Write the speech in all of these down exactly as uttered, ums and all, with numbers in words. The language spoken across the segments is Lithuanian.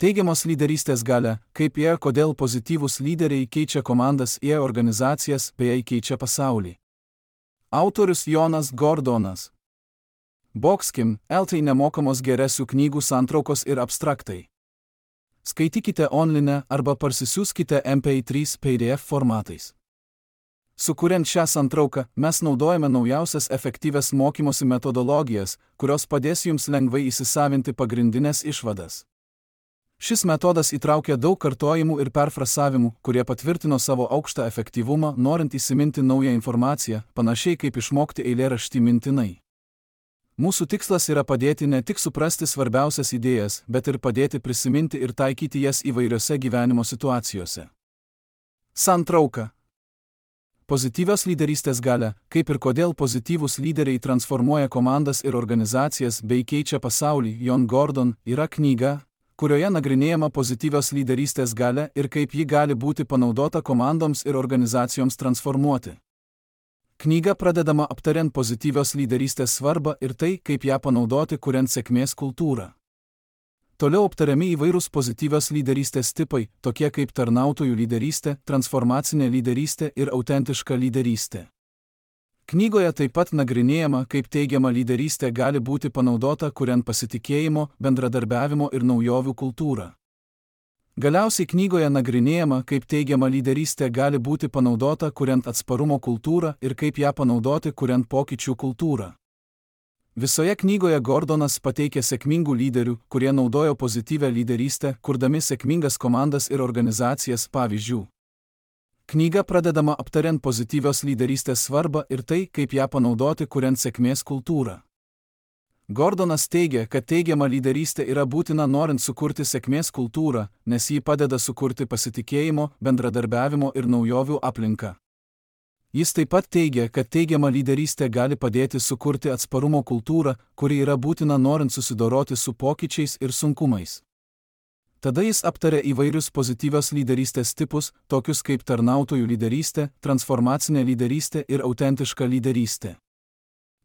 Teigiamos lyderystės galia, kaip ir kodėl pozityvūs lyderiai keičia komandas ir organizacijas bei keičia pasaulį. Autorius Jonas Gordonas. Boxkim, eltai nemokamos geresių knygų santraukos ir abstraktai. Skaitykite online arba parsisiųskite M P trys P D F formatais. Sukuriant šią santrauką, mes naudojame naujausias efektyvias mokymosi metodologijas, kurios padės jums lengvai įsisavinti pagrindinės išvadas. Šis metodas įtraukia daug kartojimų ir perfrasavimų, kurie patvirtino savo aukštą efektyvumą, norint įsiminti naują informaciją, panašiai kaip išmokti eilėraštį mintinai. Mūsų tikslas yra padėti ne tik suprasti svarbiausias idėjas, bet ir padėti prisiminti ir taikyti jas įvairiose gyvenimo situacijose. Santrauka. Pozityvios lyderystės galia, kaip ir kodėl pozityvūs lyderiai transformuoja komandas ir organizacijas bei keičia pasaulį, Jon Gordon, yra knyga, kurioje nagrinėjama pozityvios lyderystės galia ir kaip ji gali būti panaudota komandoms ir organizacijoms transformuoti. Knyga pradedama aptariant pozityvios lyderystės svarbą ir tai, kaip ją panaudoti, kuriant sėkmės kultūrą. Toliau aptariami įvairūs pozityvios lyderystės tipai, tokie kaip tarnautojų lyderystė, transformacinė lyderystė ir autentiška lyderystė. Knygoje taip pat nagrinėjama, kaip teigiama lyderystė gali būti panaudota, kuriant pasitikėjimo, bendradarbiavimo ir naujovių kultūrą. Galiausiai knygoje nagrinėjama, kaip teigiama lyderystė gali būti panaudota, kuriant atsparumo kultūrą ir kaip ją panaudoti, kuriant pokyčių kultūrą. Visoje knygoje Gordonas pateikia sėkmingų lyderių, kurie naudojo pozityvią lyderystę, kurdami sėkmingas komandas ir organizacijas pavyzdžių. Knyga pradedama aptariant pozityvios lyderystės svarbą ir tai, kaip ją panaudoti, kuriant sėkmės kultūrą. Gordonas teigia, kad teigiama lyderystė yra būtina norint sukurti sėkmės kultūrą, nes ji padeda sukurti pasitikėjimo, bendradarbiavimo ir naujovių aplinką. Jis taip pat teigia, kad teigiama lyderystė gali padėti sukurti atsparumo kultūrą, kuri yra būtina norint susidoroti su pokyčiais ir sunkumais. Tada jis aptarė įvairius pozityvios lyderystės tipus, tokius kaip tarnautojų lyderystė, transformacinė lyderystė ir autentiška lyderystė.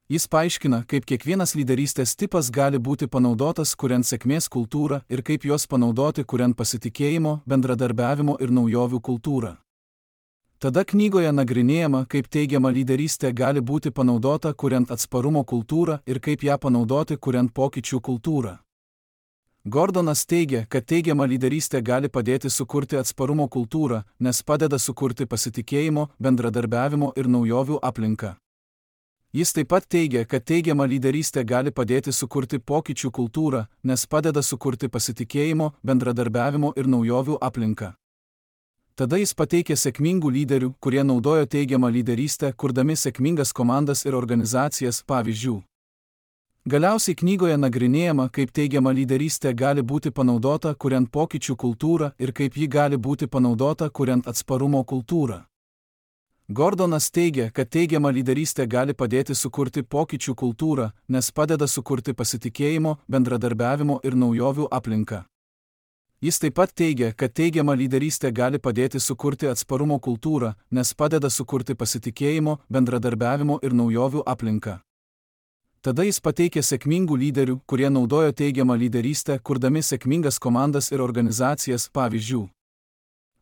Jis paaiškina, kaip kiekvienas lyderystės tipas gali būti panaudotas, kuriant sėkmės kultūrą ir kaip juos panaudoti, kuriant pasitikėjimo, bendradarbiavimo ir naujovių kultūrą. Tada knygoje nagrinėjama, kaip teigiama lyderystė gali būti panaudota, kuriant atsparumo kultūrą ir kaip ją panaudoti, kuriant pokyčių kultūrą. Gordonas teigia, kad teigiama lyderystė gali padėti sukurti atsparumo kultūrą, nes padeda sukurti pasitikėjimo, bendradarbiavimo ir naujovių aplinką. Jis taip pat teigia, kad teigiama lyderystė gali padėti sukurti pokyčių kultūrą, nes padeda sukurti pasitikėjimo, bendradarbiavimo ir naujovių aplinką. Tada jis pateikė sėkmingų lyderių, kurie naudojo teigiamą lyderystę, kurdami sėkmingas komandas ir organizacijas pavyzdžių. Galiausiai knygoje nagrinėjama, kaip teigiama lyderystė gali būti panaudota, kuriant pokyčių kultūrą ir kaip ji gali būti panaudota, kuriant atsparumo kultūrą. Gordonas teigia, kad teigiama lyderystė gali padėti sukurti pokyčių kultūrą, nes padeda sukurti pasitikėjimo, bendradarbiavimo ir naujovių aplinką. Jis taip pat teigia, kad teigiama lyderystė gali padėti sukurti atsparumo kultūrą, nes padeda sukurti pasitikėjimo, bendradarbiavimo ir naujovių aplinką. Tada jis pateikė sėkmingų lyderių, kurie naudojo teigiamą lyderystę, kurdami sėkmingas komandas ir organizacijas pavyzdžių.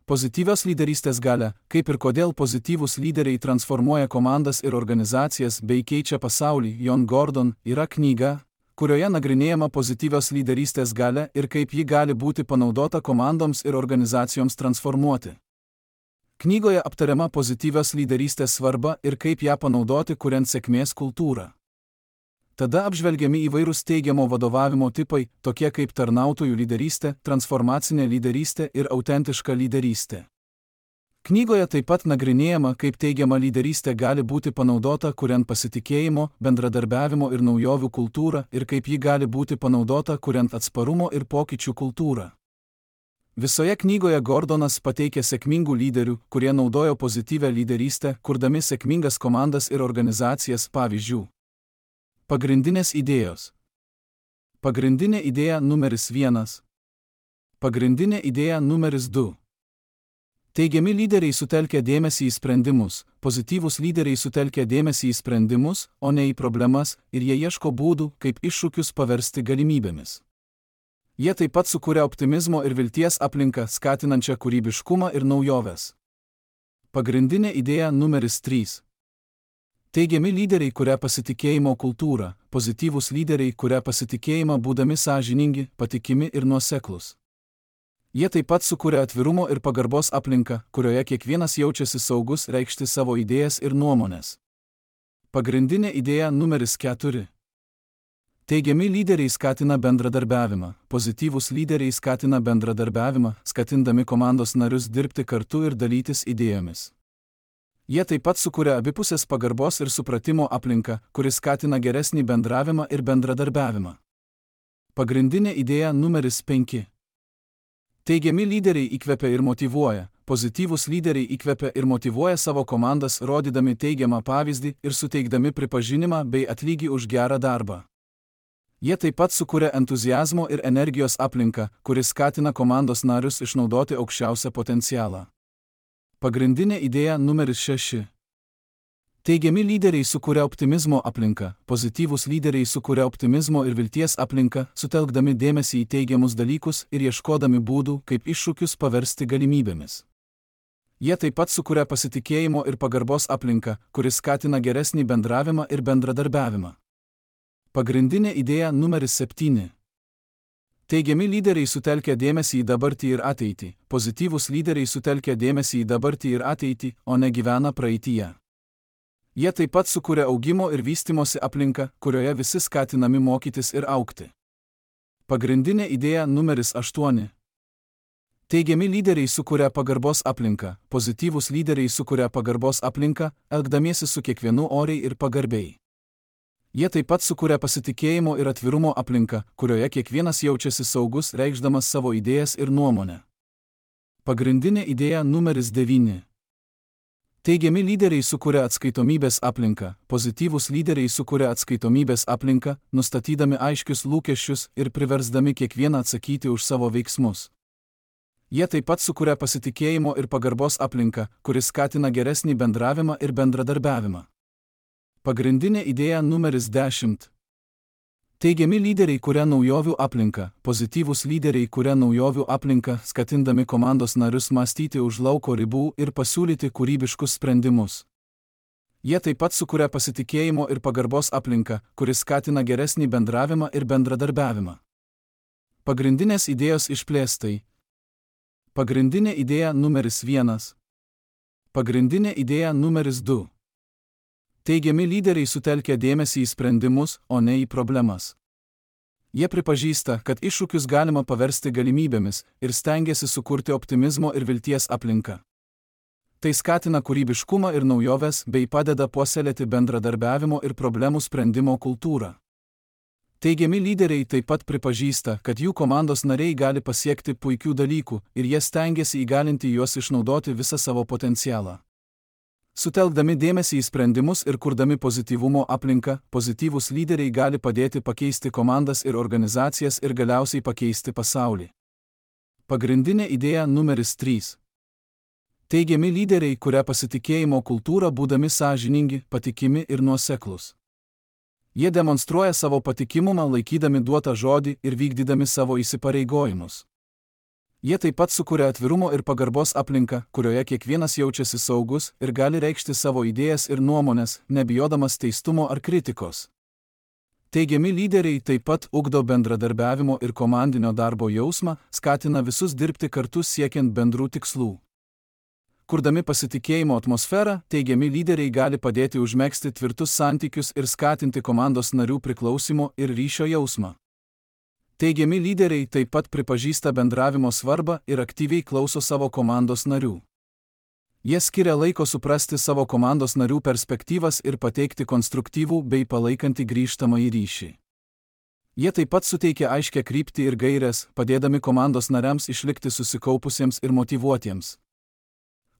Pozityvios lyderystės galia, kaip ir kodėl pozityvūs lyderiai transformuoja komandas ir organizacijas bei keičia pasaulį, Jon Gordon, yra knyga, kurioje nagrinėjama pozityvios lyderystės galia ir kaip ji gali būti panaudota komandoms ir organizacijoms transformuoti. Knygoje aptariama pozityvios lyderystės svarba ir kaip ją panaudoti, kuriant sėkmės kultūrą. Tada apžvelgiami įvairūs teigiamo vadovavimo tipai, tokie kaip tarnautojų lyderystė, transformacinė lyderystė ir autentiška lyderystė. Knygoje taip pat nagrinėjama, kaip teigiama lyderystė gali būti panaudota, kuriant pasitikėjimo, bendradarbiavimo ir naujovių kultūrą ir kaip ji gali būti panaudota, kuriant atsparumo ir pokyčių kultūrą. Visoje knygoje Gordonas pateikė sėkmingų lyderių, kurie naudojo pozityvią lyderystę, kurdami sėkmingas komandas ir organizacijas pavyzdžių. Pagrindinės idėjos. Pagrindinė idėja numeris vienas. Pagrindinė idėja numeris du. Teigiami lyderiai sutelkia dėmesį į sprendimus, pozityvūs lyderiai sutelkia dėmesį į sprendimus, o ne į problemas, ir jie ieško būdų, kaip iššūkius paversti galimybėmis. Jie taip pat sukuria optimizmo ir vilties aplinką, skatinančią kūrybiškumą ir naujoves. Pagrindinė idėja numeris trys. Teigiami lyderiai kuria pasitikėjimo kultūrą, pozityvūs lyderiai kuria pasitikėjimą būdami sąžiningi, patikimi ir nuoseklūs. Jie taip pat sukuria atvirumo ir pagarbos aplinką, kurioje kiekvienas jaučiasi saugus reikšti savo idėjas ir nuomonės. Pagrindinė idėja numeris keturi. Teigiami lyderiai skatina bendradarbiavimą, pozityvūs lyderiai skatina bendradarbiavimą, skatindami komandos narius dirbti kartu ir dalytis idėjomis. Jie taip pat sukuria abipusės pagarbos ir supratimo aplinką, kuris skatina geresnį bendravimą ir bendradarbiavimą. Pagrindinė idėja numeris penki. Teigiami lyderiai įkvepia ir motyvuoja, pozityvūs lyderiai įkvepia ir motyvuoja savo komandas, rodydami teigiamą pavyzdį ir suteikdami pripažinimą bei atlygį už gerą darbą. Jie taip pat sukuria entuziazmo ir energijos aplinką, kuris skatina komandos narius išnaudoti aukščiausią potencialą. Pagrindinė idėja numeris šeši. Teigiami lyderiai sukuria optimizmo aplinką, pozityvūs lyderiai sukuria optimizmo ir vilties aplinką, sutelkdami dėmesį į teigiamus dalykus ir ieškodami būdų, kaip iššūkius paversti galimybėmis. Jie taip pat sukuria pasitikėjimo ir pagarbos aplinką, kuris skatina geresnį bendravimą ir bendradarbiavimą. Pagrindinė idėja numeris septyni. Teigiami lyderiai sutelkia dėmesį į dabartį ir ateitį, pozityvūs lyderiai sutelkia dėmesį į dabartį ir ateitį, o ne gyvena praeityje. Jie taip pat sukuria augimo ir vystimosi aplinką, kurioje visi skatinami mokytis ir augti. Pagrindinė idėja numeris aštuoni. Teigiami lyderiai sukuria pagarbos aplinką, pozityvūs lyderiai sukuria pagarbos aplinką, elgdamiesi su kiekvienu oriai ir pagarbiai. Jie taip pat sukuria pasitikėjimo ir atvirumo aplinką, kurioje kiekvienas jaučiasi saugus, reikšdamas savo idėjas ir nuomonę. Pagrindinė idėja numeris devyni. Teigiami lyderiai sukuria atskaitomybės aplinką, pozityvūs lyderiai sukuria atskaitomybės aplinką, nustatydami aiškius lūkesčius ir priversdami kiekvieną atsakyti už savo veiksmus. Jie taip pat sukuria pasitikėjimo ir pagarbos aplinką, kuris skatina geresnį bendravimą ir bendradarbiavimą. Pagrindinė idėja numeris dešimt. Teigiami lyderiai kuria naujovių aplinką, pozityvūs lyderiai kuria naujovių aplinką, skatindami komandos narius mąstyti už lauko ribų ir pasiūlyti kūrybiškus sprendimus. Jie taip pat sukuria pasitikėjimo ir pagarbos aplinką, kuris skatina geresnį bendravimą ir bendradarbiavimą. Pagrindinės idėjos išplėstai. Pagrindinė idėja numeris vienas. Pagrindinė idėja numeris du. Teigiami lyderiai sutelkia dėmesį į sprendimus, o ne į problemas. Jie pripažįsta, kad iššūkius galima paversti galimybėmis ir stengiasi sukurti optimizmo ir vilties aplinką. Tai skatina kūrybiškumą ir naujoves bei padeda puoselėti bendradarbiavimo ir problemų sprendimo kultūrą. Teigiami lyderiai taip pat pripažįsta, kad jų komandos nariai gali pasiekti puikių dalykų ir jie stengiasi įgalinti juos išnaudoti visą savo potencialą. Sutelkdami dėmesį į sprendimus ir kurdami pozityvumo aplinką, pozityvūs lyderiai gali padėti pakeisti komandas ir organizacijas ir galiausiai pakeisti pasaulį. Pagrindinė idėja numeris trys. Teigiami lyderiai kuria pasitikėjimo kultūrą būdami sąžiningi, patikimi ir nuoseklūs. Jie demonstruoja savo patikimumą laikydami duotą žodį ir vykdydami savo įsipareigojimus. Jie taip pat sukuria atvirumo ir pagarbos aplinką, kurioje kiekvienas jaučiasi saugus ir gali reikšti savo idėjas ir nuomonės, nebijodamas teistumo ar kritikos. Teigiami lyderiai taip pat ugdo bendradarbiavimo ir komandinio darbo jausmą, skatina visus dirbti kartu siekiant bendrų tikslų. Kurdami pasitikėjimo atmosferą, teigiami lyderiai gali padėti užmegzti tvirtus santykius ir skatinti komandos narių priklausimo ir ryšio jausmą. Teigiami lyderiai taip pat pripažįsta bendravimo svarbą ir aktyviai klauso savo komandos narių. Jie skiria laiko suprasti savo komandos narių perspektyvas ir pateikti konstruktyvų bei palaikantį grįžtamąjį ryšį. Jie taip pat suteikia aiškią kryptį ir gaires, padėdami komandos nariams išlikti susikaupusiems ir motyvuotiems.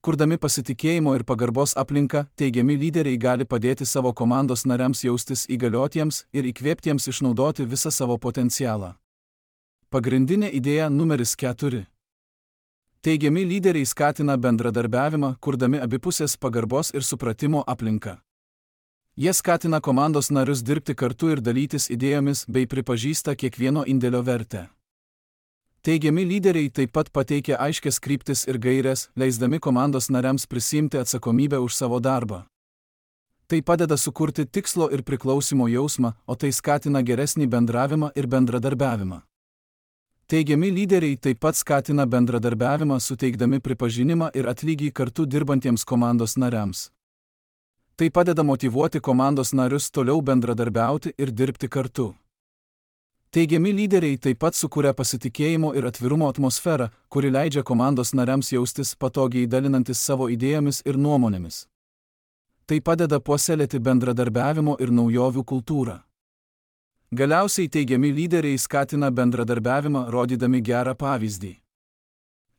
Kurdami pasitikėjimo ir pagarbos aplinką, teigiami lyderiai gali padėti savo komandos nariams jaustis įgaliotiems ir įkvėptiems išnaudoti visą savo potencialą. Pagrindinė idėja numeris keturi. Teigiami lyderiai skatina bendradarbiavimą, kurdami abipusės pagarbos ir supratimo aplinką. Jie skatina komandos narius dirbti kartu ir dalytis idėjomis bei pripažįsta kiekvieno indėlio vertę. Teigiami lyderiai taip pat pateikia aiškias kryptis ir gaires, leisdami komandos nariams prisimti atsakomybę už savo darbą. Tai padeda sukurti tikslo ir priklausimo jausmą, o tai skatina geresnį bendravimą ir bendradarbiavimą. Teigiami lyderiai taip pat skatina bendradarbiavimą, suteikdami pripažinimą ir atlygį kartu dirbantiems komandos nariams. Tai padeda motyvuoti komandos narius toliau bendradarbiauti ir dirbti kartu. Teigiami lyderiai taip pat sukuria pasitikėjimo ir atvirumo atmosferą, kuri leidžia komandos nariams jaustis patogiai dalinantis savo idėjomis ir nuomonėmis. Tai padeda puoselėti bendradarbiavimo ir naujovių kultūrą. Galiausiai teigiami lyderiai skatina bendradarbiavimą, rodydami gerą pavyzdį.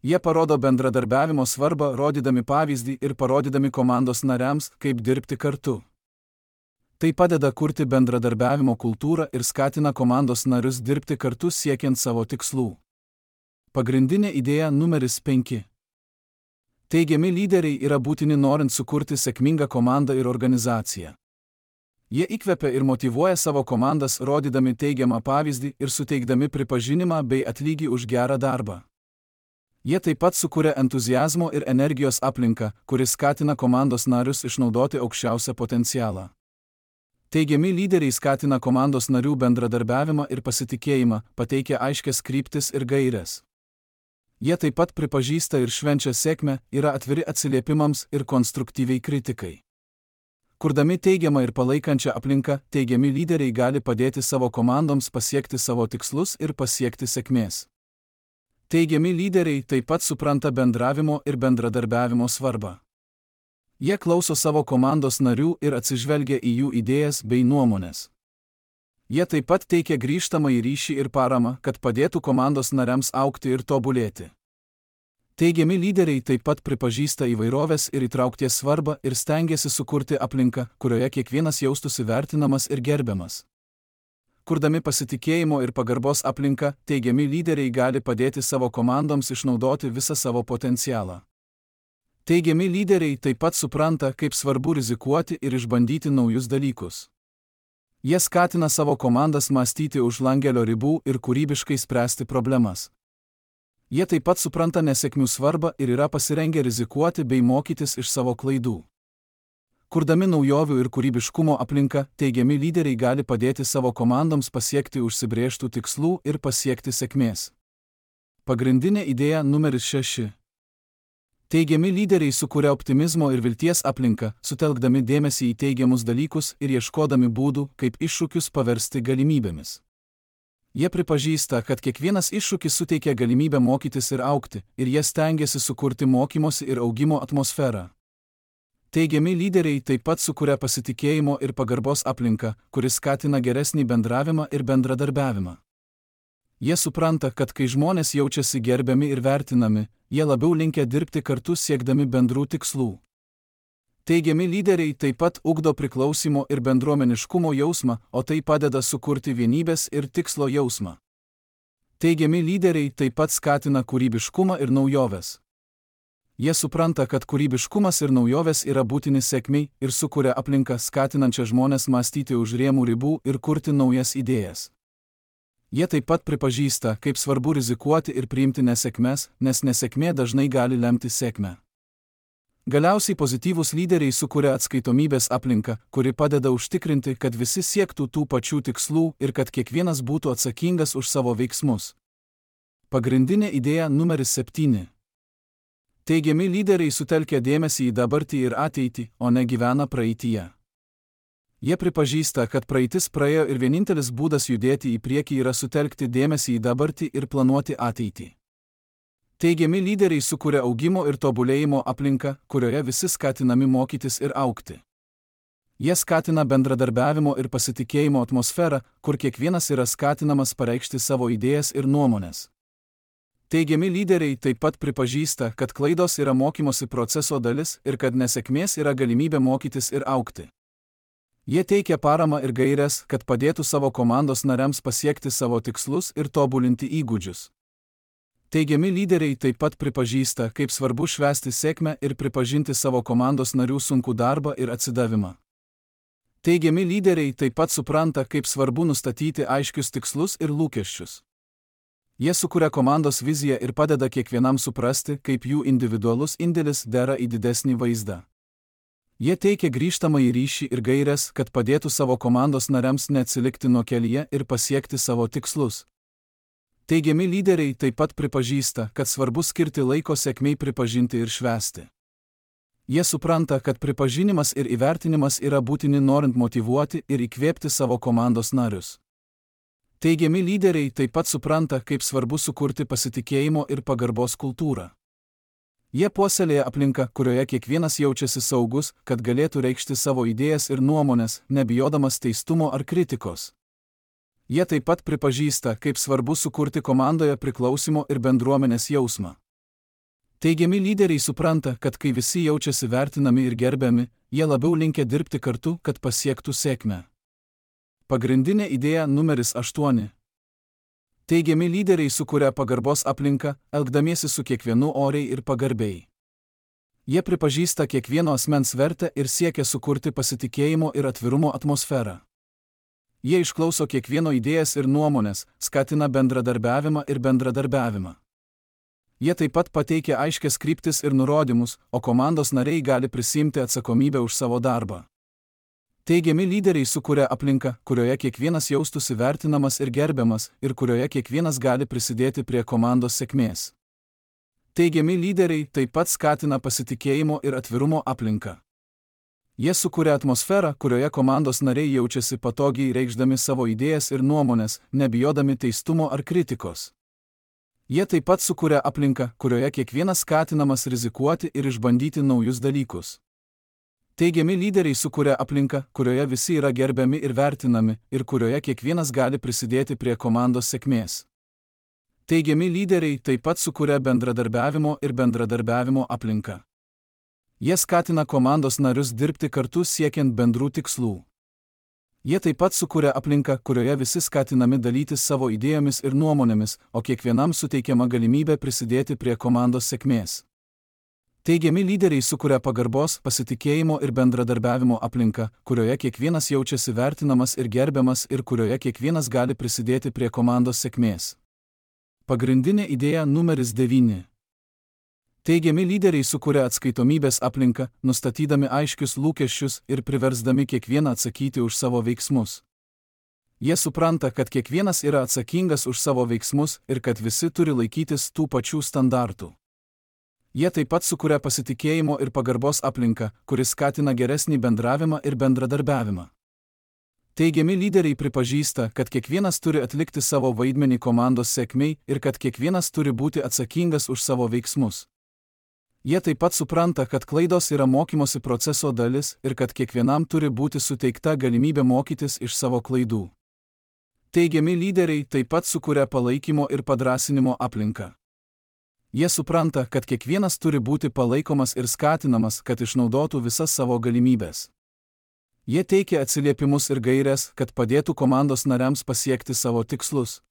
Jie parodo bendradarbiavimo svarbą, rodydami pavyzdį ir parodydami komandos nariams, kaip dirbti kartu. Tai padeda kurti bendradarbiavimo kultūrą ir skatina komandos narius dirbti kartu siekiant savo tikslų. Pagrindinė idėja numeris penki. Teigiami lyderiai yra būtini norint sukurti sėkmingą komandą ir organizaciją. Jie įkvepia ir motyvuoja savo komandas, rodydami teigiamą pavyzdį ir suteikdami pripažinimą bei atlygį už gerą darbą. Jie taip pat sukuria entuziazmo ir energijos aplinką, kuris skatina komandos narius išnaudoti aukščiausią potencialą. Teigiami lyderiai skatina komandos narių bendradarbiavimą ir pasitikėjimą, pateikia aiškias kryptis ir gaires. Jie taip pat pripažįsta ir švenčia sėkmę, yra atviri atsiliepimams ir konstruktyviai kritikai. Kurdami teigiamą ir palaikančią aplinką, teigiami lyderiai gali padėti savo komandoms pasiekti savo tikslus ir pasiekti sėkmės. Teigiami lyderiai taip pat supranta bendravimo ir bendradarbiavimo svarbą. Jie klauso savo komandos narių ir atsižvelgia į jų idėjas bei nuomonės. Jie taip pat teikia grįžtamąjį ryšį ir paramą, kad padėtų komandos nariams augti ir tobulėti. Teigiami lyderiai taip pat pripažįsta įvairovės ir įtraukties svarbą ir stengiasi sukurti aplinką, kurioje kiekvienas jaustųsi vertinamas ir gerbiamas. Kurdami pasitikėjimo ir pagarbos aplinką, teigiami lyderiai gali padėti savo komandoms išnaudoti visą savo potencialą. Teigiami lyderiai taip pat supranta, kaip svarbu rizikuoti ir išbandyti naujus dalykus. Jie skatina savo komandas mąstyti už langelio ribų ir kūrybiškai spręsti problemas. Jie taip pat supranta nesėkmių svarbą ir yra pasirengę rizikuoti bei mokytis iš savo klaidų. Kurdami naujovių ir kūrybiškumo aplinką, teigiami lyderiai gali padėti savo komandoms pasiekti užsibrėžtų tikslų ir pasiekti sėkmės. Pagrindinė idėja numeris šeši. Teigiami lyderiai sukuria optimizmo ir vilties aplinką, sutelkdami dėmesį į teigiamus dalykus ir ieškodami būdų, kaip iššūkius paversti galimybėmis. Jie pripažįsta, kad kiekvienas iššūkis suteikia galimybę mokytis ir augti, ir jie stengiasi sukurti mokymosi ir augimo atmosferą. Teigiami lyderiai taip pat sukuria pasitikėjimo ir pagarbos aplinką, kuris skatina geresnį bendravimą ir bendradarbiavimą. Jie supranta, kad kai žmonės jaučiasi gerbiami ir vertinami, jie labiau linkę dirbti kartu siekdami bendrų tikslų. Teigiami lyderiai taip pat ugdo priklausimo ir bendruomeniškumo jausmą, o tai padeda sukurti vienybės ir tikslo jausmą. Teigiami lyderiai taip pat skatina kūrybiškumą ir naujoves. Jie supranta, kad kūrybiškumas ir naujovės yra būtini sėkmei ir sukuria aplinką skatinančią žmonės mąstyti už rėmų ribų ir kurti naujas idėjas. Jie taip pat pripažįsta, kaip svarbu rizikuoti ir priimti nesėkmes, nes nesėkmė dažnai gali lemti sėkmę. Galiausiai pozityvūs lyderiai sukuria atskaitomybės aplinką, kuri padeda užtikrinti, kad visi siektų tų pačių tikslų ir kad kiekvienas būtų atsakingas už savo veiksmus. Pagrindinė idėja numeris septyni. Teigiami lyderiai sutelkia dėmesį į dabartį ir ateitį, o ne gyvena praeityje. Jie pripažįsta, kad praeitis praėjo ir vienintelis būdas judėti į priekį yra sutelkti dėmesį į dabartį ir planuoti ateitį. Teigiami lyderiai sukuria augimo ir tobulėjimo aplinką, kurioje visi skatinami mokytis ir augti. Jie skatina bendradarbiavimo ir pasitikėjimo atmosferą, kur kiekvienas yra skatinamas pareikšti savo idėjas ir nuomonės. Teigiami lyderiai taip pat pripažįsta, kad klaidos yra mokymosi proceso dalis ir kad nesėkmės yra galimybė mokytis ir augti. Jie teikia paramą ir gaires, kad padėtų savo komandos nariams pasiekti savo tikslus ir tobulinti įgūdžius. Teigiami lyderiai taip pat pripažįsta, kaip svarbu švęsti sėkmę ir pripažinti savo komandos narių sunkų darbą ir atsidavimą. Teigiami lyderiai taip pat supranta, kaip svarbu nustatyti aiškius tikslus ir lūkesčius. Jie sukuria komandos viziją ir padeda kiekvienam suprasti, kaip jų individualus indėlis dera į didesnį vaizdą. Jie teikia grįžtamąjį ryšį ir gaires, kad padėtų savo komandos nariams neatsilikti nuo kelyje ir pasiekti savo tikslus. Teigiami lyderiai taip pat pripažįsta, kad svarbu skirti laiko sėkmei pripažinti ir švęsti. Jie supranta, kad pripažinimas ir įvertinimas yra būtini norint motyvuoti ir įkvėpti savo komandos narius. Teigiami lyderiai taip pat supranta, kaip svarbu sukurti pasitikėjimo ir pagarbos kultūrą. Jie puoselėja aplinką, kurioje kiekvienas jaučiasi saugus, kad galėtų reikšti savo idėjas ir nuomonės, nebijodamas teistumo ar kritikos. Jie taip pat pripažįsta, kaip svarbu sukurti komandoje priklausimo ir bendruomenės jausmą. Teigiami lyderiai supranta, kad kai visi jaučiasi vertinami ir gerbiami, jie labiau linkę dirbti kartu, kad pasiektų sėkmę. Pagrindinė idėja numeris aštuoni. Teigiami lyderiai sukuria pagarbos aplinką, elgdamiesi su kiekvienu oriai ir pagarbiai. Jie pripažįsta kiekvieno asmens vertę ir siekia sukurti pasitikėjimo ir atvirumo atmosferą. Jie išklauso kiekvieno idėjas ir nuomonės, skatina bendradarbiavimą ir bendradarbiavimą. Jie taip pat pateikia aiškias kryptis ir nurodymus, o komandos nariai gali prisiimti atsakomybę už savo darbą. Teigiami lyderiai sukuria aplinką, kurioje kiekvienas jaustųsi vertinamas ir gerbiamas ir kurioje kiekvienas gali prisidėti prie komandos sėkmės. Teigiami lyderiai taip pat skatina pasitikėjimo ir atvirumo aplinką. Jie sukuria atmosferą, kurioje komandos nariai jaučiasi patogiai reikšdami savo idėjas ir nuomonės, nebijodami teistumo ar kritikos. Jie taip pat sukuria aplinką, kurioje kiekvienas skatinamas rizikuoti ir išbandyti naujus dalykus. Teigiami lyderiai sukuria aplinką, kurioje visi yra gerbiami ir vertinami, ir kurioje kiekvienas gali prisidėti prie komandos sėkmės. Teigiami lyderiai taip pat sukuria bendradarbiavimo ir bendradarbiavimo aplinką. Jie skatina komandos narius dirbti kartu siekiant bendrų tikslų. Jie taip pat sukuria aplinką, kurioje visi skatinami dalytis savo idėjomis ir nuomonėmis, o kiekvienam suteikiama galimybė prisidėti prie komandos sėkmės. Teigiami lyderiai sukuria pagarbos, pasitikėjimo ir bendradarbiavimo aplinką, kurioje kiekvienas jaučiasi vertinamas ir gerbiamas ir kurioje kiekvienas gali prisidėti prie komandos sėkmės. Pagrindinė idėja numeris devyni. Teigiami lyderiai sukuria atskaitomybės aplinką, nustatydami aiškius lūkesčius ir priversdami kiekvieną atsakyti už savo veiksmus. Jie supranta, kad kiekvienas yra atsakingas už savo veiksmus ir kad visi turi laikytis tų pačių standartų. Jie taip pat sukuria pasitikėjimo ir pagarbos aplinką, kuris skatina geresnį bendravimą ir bendradarbiavimą. Teigiami lyderiai pripažįsta, kad kiekvienas turi atlikti savo vaidmenį komandos sėkmei ir kad kiekvienas turi būti atsakingas už savo veiksmus. Jie taip pat supranta, kad klaidos yra mokymosi proceso dalis ir kad kiekvienam turi būti suteikta galimybė mokytis iš savo klaidų. Teigiami lyderiai taip pat sukuria palaikymo ir padrąsinimo aplinką. Jie supranta, kad kiekvienas turi būti palaikomas ir skatinamas, kad išnaudotų visas savo galimybės. Jie teikia atsiliepimus ir gaires, kad padėtų komandos nariams pasiekti savo tikslus.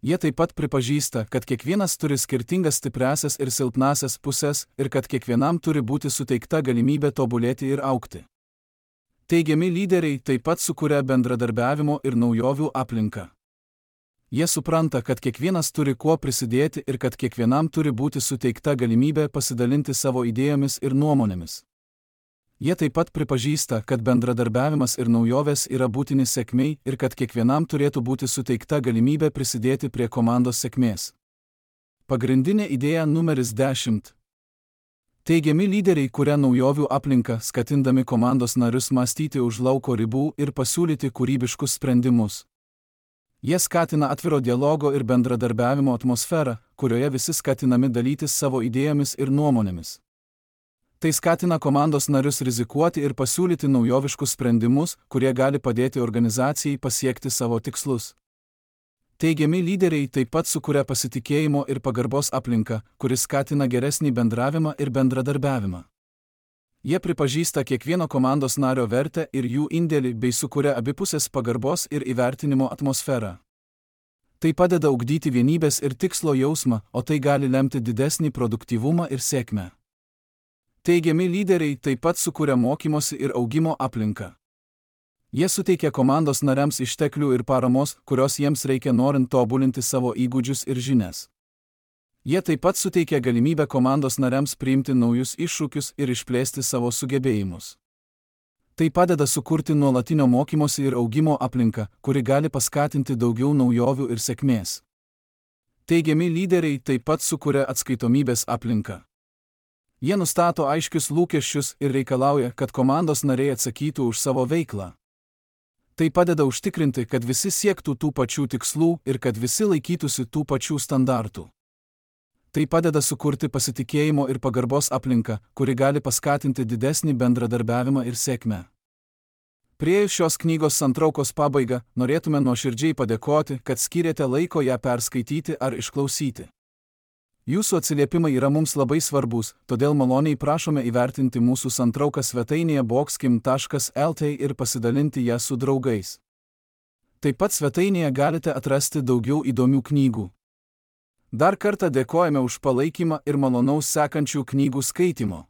Jie taip pat pripažįsta, kad kiekvienas turi skirtingas stipriąsias ir silpnąsias pusės ir kad kiekvienam turi būti suteikta galimybė tobulėti ir augti. Teigiami lyderiai taip pat sukuria bendradarbiavimo ir naujovių aplinką. Jie supranta, kad kiekvienas turi kuo prisidėti ir kad kiekvienam turi būti suteikta galimybė pasidalinti savo idėjomis ir nuomonėmis. Jie taip pat pripažįsta, kad bendradarbiavimas ir naujovės yra būtini sėkmei ir kad kiekvienam turėtų būti suteikta galimybė prisidėti prie komandos sėkmės. Pagrindinė idėja numeris dešimt. Teigiami lyderiai kuria naujovių aplinką, skatindami komandos narius mąstyti už lauko ribų ir pasiūlyti kūrybiškus sprendimus. Jie skatina atviro dialogo ir bendradarbiavimo atmosferą, kurioje visi skatinami dalytis savo idėjomis ir nuomonėmis. Tai skatina komandos narius rizikuoti ir pasiūlyti naujoviškus sprendimus, kurie gali padėti organizacijai pasiekti savo tikslus. Teigiami lyderiai taip pat sukuria pasitikėjimo ir pagarbos aplinką, kuris skatina geresnį bendravimą ir bendradarbiavimą. Jie pripažįsta kiekvieno komandos nario vertę ir jų indėlį bei sukuria abipusės pagarbos ir įvertinimo atmosferą. Tai padeda ugdyti vienybės ir tikslo jausmą, o tai gali lemti didesnį produktyvumą ir sėkmę. Teigiami lyderiai taip pat sukuria mokymosi ir augimo aplinką. Jie suteikia komandos nariams išteklių ir paramos, kurios jiems reikia norint tobulinti savo įgūdžius ir žinias. Jie taip pat suteikia galimybę komandos nariams priimti naujus iššūkius ir išplėsti savo sugebėjimus. Tai padeda sukurti nuolatinio mokymosi ir augimo aplinką, kuri gali paskatinti daugiau naujovių ir sėkmės. Teigiami lyderiai taip pat sukuria atskaitomybės aplinką. Jie nustato aiškius lūkesčius ir reikalauja, kad komandos nariai atsakytų už savo veiklą. Tai padeda užtikrinti, kad visi siektų tų pačių tikslų ir kad visi laikytųsi tų pačių standartų. Tai padeda sukurti pasitikėjimo ir pagarbos aplinką, kuri gali paskatinti didesnį bendradarbiavimą ir sėkmę. Priėjus šios knygos santraukos pabaigą, norėtume nuoširdžiai padėkoti, kad skyrėte laiko ją perskaityti ar išklausyti. Jūsų atsiliepimai yra mums labai svarbus, todėl maloniai prašome įvertinti mūsų santrauką svetainėje bokskim taškas el tė ir pasidalinti ją su draugais. Taip pat svetainėje galite atrasti daugiau įdomių knygų. Dar kartą dėkojame už palaikymą ir malonaus sekančių knygų skaitimo.